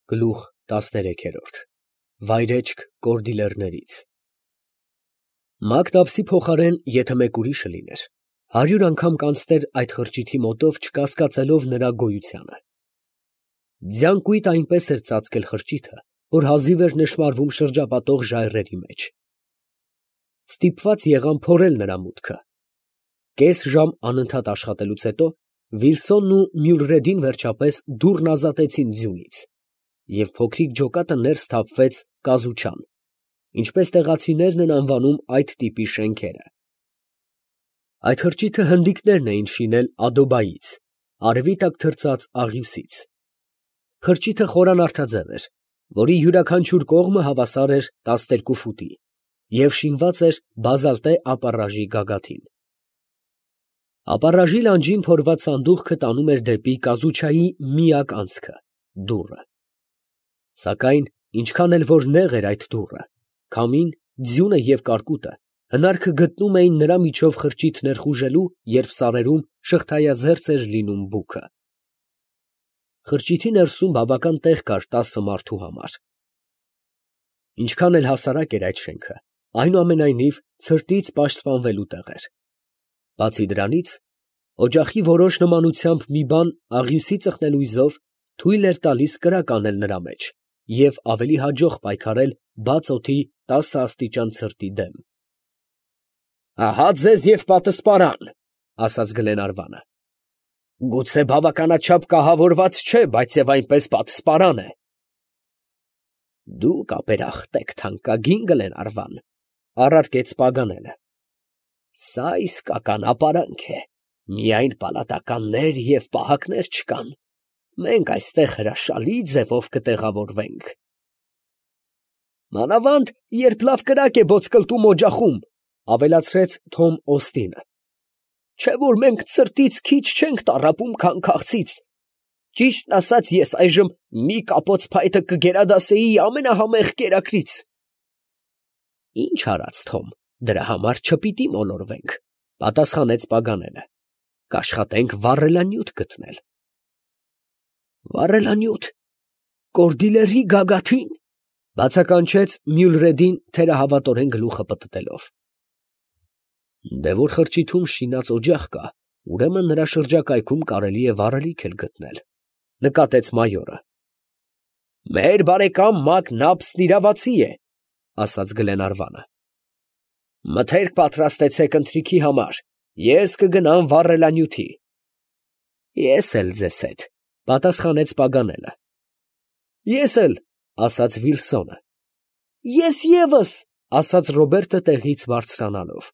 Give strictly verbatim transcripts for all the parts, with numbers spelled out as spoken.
Գլուխ տասներեք։ Վայրեջք կորդիլերներից։ Մագնապսի փոխարեն, եթե մեկ ուրիշը լիներ, հարյուր անգամ կանցներ այդ խրճիթի մոտով, չկասկածելով նրա գոյությանը։ Ձյան կույտ այնպես էր ծածկել խրճիթը, որ հազիվ էր նշմարվում շրջապատող ժայռերի մեջ։ Ստիպված եղան փորել նրա մուտքը։ Կես ժամ անընդհատ աշխատելուց հետո Վիլսոնն ու Մյուլրեդին վերջապես դուռն ազատեցին ձյունից, և փոքրիկ ջոկատը ներս թափվեց կազուչան, ինչպես տեղացիներն են անվանում այդ տիպի շենքերը։ Այդ խրճիթը հնդիկներն էին շինել ադոբայից, արևի տակ թրծած աղյուսից։ Խրճիթը խորանարդաձև էր, որի յուրաքանչյուր կողմը հավասար էր տասներկու ֆուտի և շինված էր բազալտե ապառաժի գագաթին։ Ապառաժի լանջին փորված սանդուղքը տանում էր դեպի կազուչայի միակ անցքը՝ դուռը։ Սակայն ինչքան էլ որ նեղ էր այդ դուռը, քամին, ձյունը և կարկուտը հնարքը գտնում էին նրա միջով խրճիթ ներխուժելու, երբ սարերում շղթայազերծ էր լինում բուքը։ Խրճիթի ներսում բավական տեղ կար տասը մարդու համար։ Ինչքան էլ հասարակ էր այդ շենքը, այնուամենայնիվ ցրտից պաշտպանվելու տեղ էր։ Բացի դրանից, օջախի որոշ նմանությամբ մի բան աղյուսի ծխնելույզով թույլ էր տալիս կրակ անել նրա մեջ և ավելի հաջող պայքարել բաց օդի տասը աստիճան ցրտի դեմ։ «Ահա ձեզ և պատսպարան, ֊ ասաց Գլենարվանը, ֊ գուցե բավականաչափ կահավորված չէ, բայց և այնպես պատսպարան է»։ «Դուք ապերախտ եք, թանկագին Գլենարվան, ֊ առարկեց Պագանելը, ֊ սա իսկական ապարանք է, միայն պալատականներ և պահակներ չկան, մենք այստեղ հրաշալի ձևով կտեղավորվենք։ ֊ Մանավանդ երբ լավ կրակ է ոտսկլտում օջախում, ֊ ավելացրեց Թոմ Օստինը, ֊ չէ՞ որ մենք ցրտից քիչ չենք տառապում, քան քաղցից. ճիշտն ասած, ես այժմ մի կապոց փայտը կգերադասեի ամենահամեղ կերակրից։ ֊ Ի՞նչ արած, Թոմ, դրա համար չպիտի մոլորվենք, ֊ պատասխանեց Պագանելը, ֊ կաշխատենք վառելանյութ գտնել։ ֊ Վառելանյութ, կորդիլերի գագաթի՞ն, ֊ բացականչեց Մյուլրեդին թերահավատորեն գլուխը պտտելով։ ֊ Դե որ խրճիթում շինած օջախ կա, ուրեմն նրա շրջակայքում կարելի է վառելիք էլ գտնել, ֊ նկատեց մայորը։ ֊ Մեր բարեկամ Մակնաբսն իրավացի է, ֊ ասաց Գլենարվանը։ ֊ Մթերք պատրաստեցեք ընթրիքի համար, ես կգնամ վառելանյութի։ ֊ Ես էլ ձեզ հետ, ֊ պատասխանեց Պագանելը։ ֊ Ես էլ, ֊ ասաց Վիլսոնը։ ֊ Ես ևս, ֊ ասաց Ռոբերտը տեղից բարձրանալով։ ֊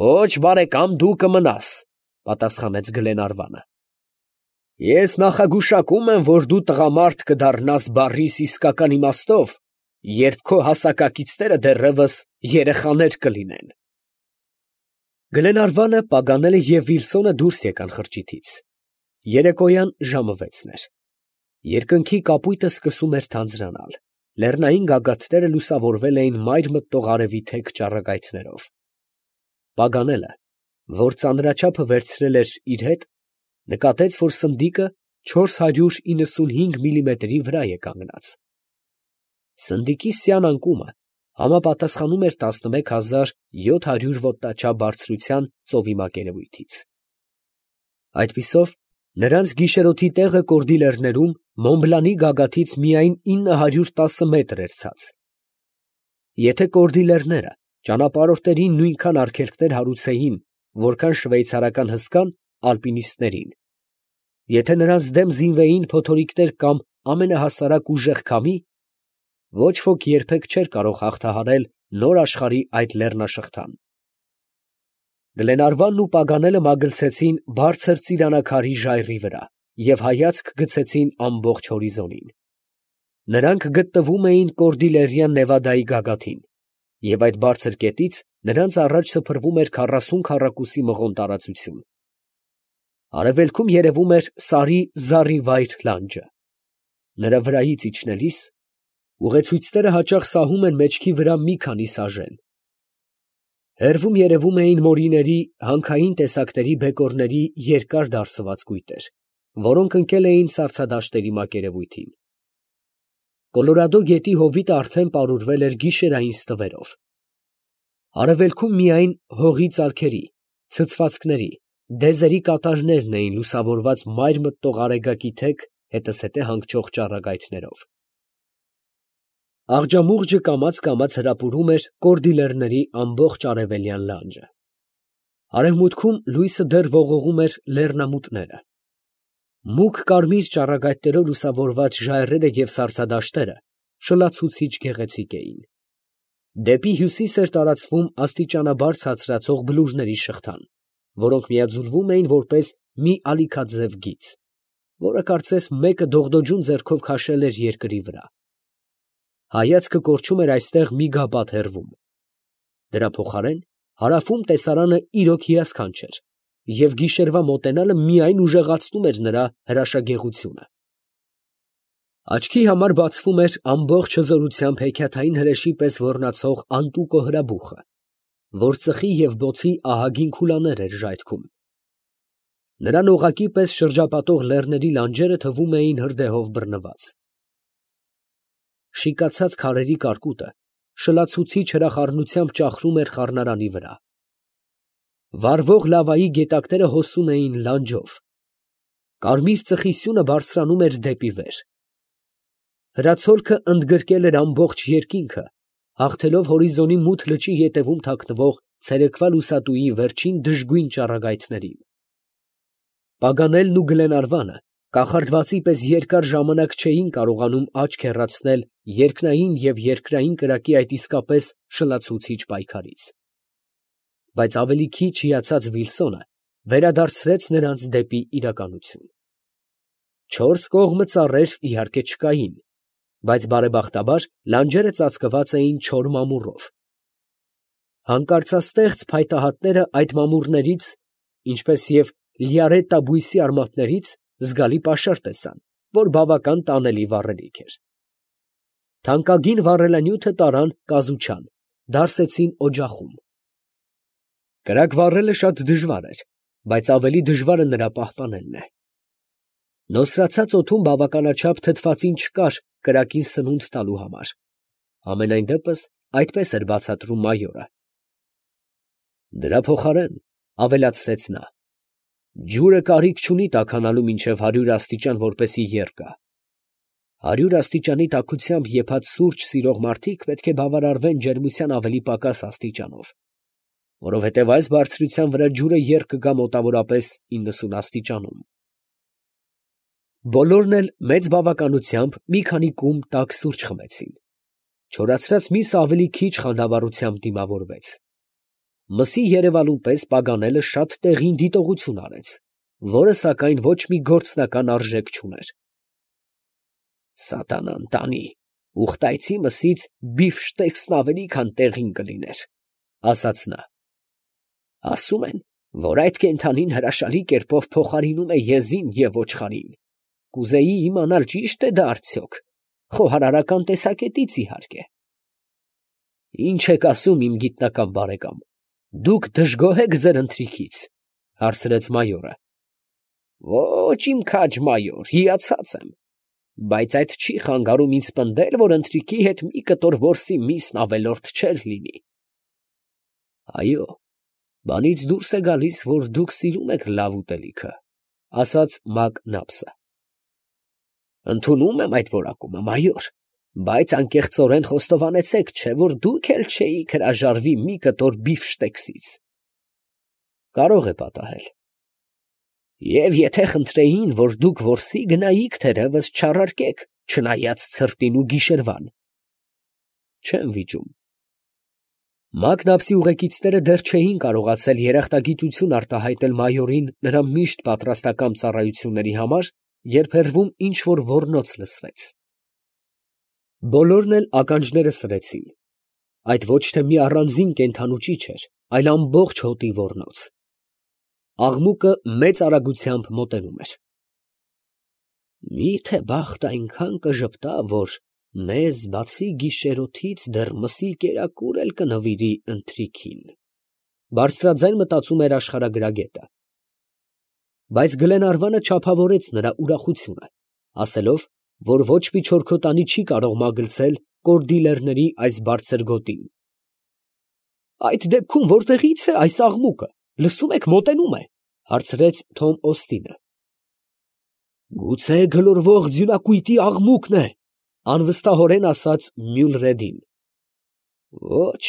Ոչ, բարեկամ, դու կմնաս, ֊ պատասխանեց Գլենարվանը։ ֊ Ես նախագուշակում եմ, որ դու տղամարդ կդառնաս բառիս իսկական իմաստով, երբ քո հասակակիցները դեռևս երեխաներ կլինեն։ Գլենարվանը, Պագանելը և Վիլսոնը դուրս եկան խրճիթից։ Երեկոյան ժամը վեցն էր։ Երկնքի կապույտը սկսում էր թանձրանալ, լեռնային գագաթները լուսավորվել էին մայր մտնող արևի թեք ճառագայթներով։ Պագանելը, որ ծանրաչափը վերցրել էր իր հետ, նկատեց, որ սնդիկը չորս հարյուր իննսունհինգ միլիմետրի վրա է կանգնած։ Սնդիկի սյան անկումը համապատասխանում էր տասնմեկ հազար յոթ հարյուր ոտնաչափ բարձրության ծովի մակերևույթից։ Այդպիսով, նրանց գիշերօթի տեղը կորդիլերներում Մոնբլանի գագաթից միայն ինը հարյուր տասը մետր էր ցած։ Եթե կորդիլերները ճանապարհորդներին նույնքան արգելքներ հարուցեին, որքան շվեյցարական հսկան ալպինիստներին, եթե նրանց դեմ զինվեին փոթորիկներ կամ ամենահասարակ ուժեղ քամի, ոչ ոք երբեք չէր կարող հաղթահարել նոր աշխարհի այդ լեռնաշղթան։ Գլենարվանն ու Պագանելը մագլցեցին բարձր ծիրանակարի ժայռի վրա և հայացք գցեցին ամբողջ հորիզոնին։ Նրանք գտնվում էին Կորդիլերյան Նևադայի գագաթին, և այդ բարձր կետից նրանց առաջ սփռվում էր քառասուն քառակուսի մղոն տարածություն։ Արևելքում երևում էր սարի զառիվայր լանջը։ Նրա վրայից իջնելիս ուղեցույցները հաճախ սահում են մեջքի վրա մի քանի սաժեն։ Հեռվում երևում էին մորիների, հանքային տեսակների բեկորների երկար դարսված կույտեր, որոնք ընկել էին սառցադաշտերի մակերևույթին։ Կոլորադո գետի հովիտը արդեն պարուրվել էր գիշերային ստվերով։ Արևելքում միայն հողի ծալքերի, ցցվածքների, դեզերի կատարներն էին լուսավորված մայր մտնող արեգակի թեք, հետզհետե հանգչող ճառագայթներով։ Աղջամուղջը կամաց֊կամաց հրապուրում էր կորդիլերների ամբողջ արևելյան լանջը։ Արևմուտքում լույսը դեռ ողողում էր լեռնամուտները։ Մուգ կարմիր ճառագայթներով լուսավորված ժայռերը և սառցադաշտերը շլացուցիչ գեղեցիկ էին։ Դեպի հյուսիս էր տարածվում աստիճանաբար ցածրացող բլուրների շղթան, որոնք միաձուլվում էին որպես մի ալիքաձև գիծ, որը կարծես մեկը դողդոջուն ձեռքով քաշել էր երկրի վրա։ Հայացքը կորչում էր այստեղ մի գաբաթ հեռվում։ Դրա փոխարեն հարավում տեսարանը իրոք հիասքանչ էր, և գիշերվա մոտենալը միայն ուժեղացնում էր նրա հրաշագեղությունը։ Աչքի համար բացվում էր ամբողջ հզորությամբ հեքիաթային հրեշի պես ոռնացող անտուկո հրաբուխը, որ ծխի և բոցի ահագին քուլաներ էր ժայթքում։ Նրան օղակի պես շրջապատող լեռների լանջերը թվում էին հրդեհով բռնված։ Շիկացած քարերի կարկուտը շլացուցիչ հրախառնությամբ ճախրում էր խառնարանի վրա։ Վառվող լավայի գետակները հոսում էին լանջով։ Կարմիր ծխի սյունը բարձրանում էր դեպի վեր։ Հրացոլքը ընդգրկել էր ամբողջ երկինքը, հաղթելով հորիզոնի մութ լճի ետևում թաքնվող ցերեկվա լուսատուի վերջին դժգույն ճառագայթներին։ Պագանելն ու Գլենարվանը կախարդվածի պես երկար ժամանակ չէին կարողանում աչք հեռացնել երկնային և երկրային կրակի այդ իսկապես շլացուցիչ պայքարից։ Բայց ավելի քիչ հիացած Վիլսոնը վերադարձրեց նրանց դեպի իրականություն։ Չորս կողմը ծառեր իհարկե չկային, բայց բարեբախտաբար լանջերը ծածկված էին չոր մամուռով։ Հանկարծաստեղծ փայտահատները այդ մամուռներից, ինչպես և լիարետտա բույսի արմատներից, զգալի պաշար տեսան, որ բավական տանելի վառելիք էր։ Թանկագին վառելանյութը տարան կազուչան, դարսեցին օջախում։ Կրակ վառելը շատ դժվար էր, բայց ավելի դժվարը նրա պահպանելն է։ Նոսրացած օդում բավականաչափ թթվածին չկար կրակին սնունդ տալու համար։ Համենայն դեպս այդպես էր բացատրում մայորը։ Դրա փոխարեն, ավելացրեց նա, ջուրը կարիք չունի տաքանալու մինչև հարյուր աստիճան, որպեսզի եռ գա։ Հարյուր աստիճանի տաքությամբ եփած սուրճ սիրող մարդիկ պետք է բավարարվեն ջերմության ավելի պակաս աստիճանով, որովհետև այս բարձրության վրա ջուրը եռ կգա մոտավորապես իննսուն աստիճանում։ Բոլորն էլ մեծ բավականությամբ մի քանի կում տաք սուրճ խմեցին։ Չորացրած միսը ավելի քիչ խանդավառությամբ դիմավորվեց։ Մսի երևալուն պես Պագանելը շատ տեղին դիտողություն արեց, որը սակայն ոչ մի գործնական արժեք չուներ։ Սատանան տանի, ուխտայցի մսից բիֆշտեքսն ավելի քան տեղին կլիներ, ասաց նա։ Ասում են, որ այդ կենդանին հրաշալի կերպով փոխարինում է եզին և ոչխարին։ Կուզեի իմանալ ճի՞շտ է դա արդյոք, խոհարարական տեսակետից իհարկե։ Ինչ եք ասում, իմ գիտնական բարեկամ, դուք դժգոհ եք ձեր ընթրիքից, հարցրեց մայորը։ Ոչ, իմ քաջ մայոր, հիացած եմ, բայց այդ չի խանգարում ինձ պնդել, որ ընթրիքի հետ մի կտոր որսի միսն ավելորդ չէր լինի։ Այո, բանից դուրս է գալիս, որ դուք սիրում եք լավ ուտելիքը, ասաց Մակնապսը։ Ընդունում եմ այդ որակումը, մայոր, բայց անկեղծորեն խոստովանեցեք, չէ՞ որ դուք էլ չէիք հրաժարվի մի կտոր բիֆշտեքսից։ Կարող է պատահել։ Եվ եթե խնդրեին, որ դուք որսի գնայիք, թերևս չառարկեք, չնայած ցրտին ու գիշերվան։ Չեմ վիճում։ Մակնապսի ուղեկիցները դեռ չէին կարողացել երախտագիտություն արտահայտել մայորին նրա միշտ պատրաստակամ ծառայությունների համար, երբ հեռվում ինչ֊որ ոռնոց լսվեց։ Բոլորն էլ ականջները սրեցին։ Այդ ոչ թե մի առանձին կենդանու ճիչ էր, այլ ամբողջ հոտի ոռնոց։ Աղմուկը մեծ արագությամբ մոտենում էր։ Մի՞թե բախտ այնքան կժպտա, որ մեզ բացի գիշերօթից դեռ մսի կերակուր էլ կնվիրի ընթրիքին, բարձրաձայն մտածում էր աշխարհագրագետը։ Բայց Գլենարվանը չափավորեց նրա ուրախությունը, ասելով, որ ոչ մի չորքոտանի չի կարող մագլցել կորդիլերների այս բարձր գոտին։ Այդ դեպքում որտեղի՞ց է այս աղմուկը, լսում եք, մոտենում է, հարցրեց Թոմ Օստինը։ Գուցե գլորվող ձյունակույտի աղմուկն է, անվստահորեն ասաց Մյուլրեդին։ Ոչ,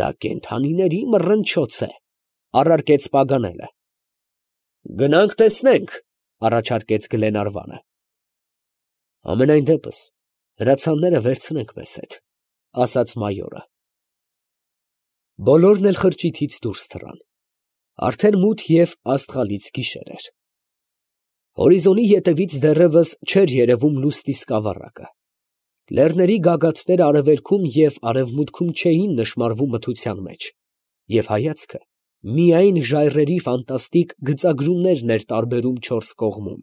դա կենդանիների մռնչոց է, առարկեց Պագանելը։ Գնանք տեսնենք, առաջարկեց Գլենարվանը։ Ամենայն դեպս հրացանները վերցնենք մեզ հետ, ասաց մայորը։ Բոլորն էլ խրճիթից դուրս թռան։ Արդեն մութ և աստղալից գիշեր էր։ Հորիզոնի ետևից դեռևս չէր երևում լուսնի սկավառակը։ Լեռների գագաթները արևելքում և արևմուտքում չէին նշմարվում մթության մեջ, և հայացքը միայն ժայռերի ֆանտաստիկ գծագրումներն էր տարբերում չորս կողմում։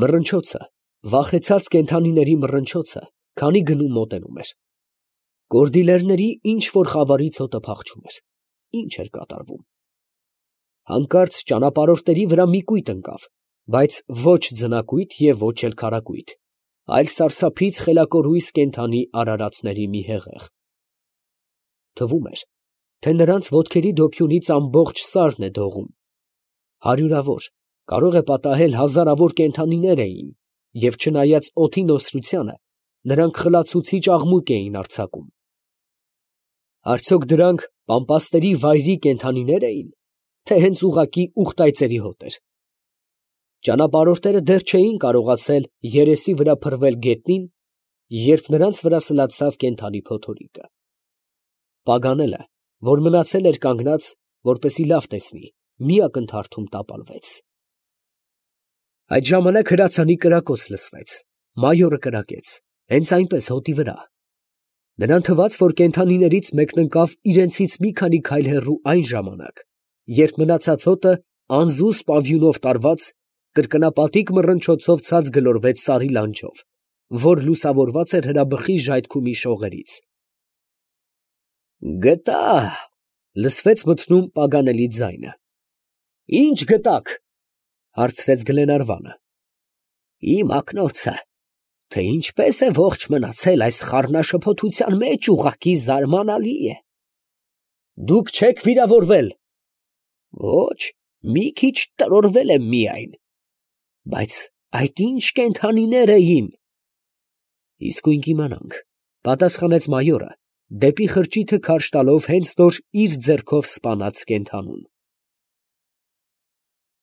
Մռնչոցը, վախեցած կենդանիների մռնչոցը, քանի գնում մոտենում էր։ Կորդիլերների ինչ֊որ խավարից հոտը փախչում էր։ Ինչ էր կատարվում։ Հանկարծ ճանապարհորդների վրա մի կույտ ընկավ, բայց ոչ ձնակույտ և ոչ էլ քարակույտ, այլ սարսափից խելակորույս կենդանի արարածների մի հեղեղ։ Թվում էր, թե նրանց ոտքերի դոփյունից ամբողջ սարն է դողում։ Հարյուրավոր, կարող է պատահել հազարավոր կենդանիներ էին, և չնայած օդի նոսրությանը, նրանք խլացուցիչ աղմուկ էին արձակում։ Արդյոք դրանք պամպասների վայրի կենդանիներ էին, թե հենց ուղղակի ուղտայծերի հոտ էր։ Ճանապարհորդները դեռ չէին կարողացել երեսի վրա փռվել գետնին, երբ նրանց վրա սլացավ կենդանի փոթորիկը։ Պագանելը, որ մնացել էր կանգնած, որպեսզի լավ տեսնի, մի ակնթարթում տապալվեց։ Այդ ժամանակ հրացանի կրակոց լսվեց, մայորը կրակեց, հենց այնպես հոտի վրա։ Նրան թվաց, որ կենդանիներից մեկն ընկավ իրենցից մի քանի քայլ հեռու այն ժամանակ, երբ մնացած հոտը անզուս պավյունով տարված, կրկնապատիկ մռնչոցով ցած գլորվեց սարի լանջով, որ լուսավորված էր հրաբխի ժայթքումի շողերից։ Գտա, լսվեց մթնում Պագանելի ձայնը։ Ինչ գտաք, հարցրեց Գլենարվանը։ Իմ ակնոցը, թե ինչպես է ողջ մնացել այս խառնաշփոթության մեջ, ուղղակի զարմանալի է։ Դուք չեք վիրավորվել։ Ոչ, մի քիչ տրորվել եմ միայն։ Բայց այդ ինչ կենդանիներ էին։ Իսկույն կիմանանք, պատասխանեց մայորը, դեպի խրճիթը քարշ տալով հենց նոր իր ձեռքով սպանած կենդանուն։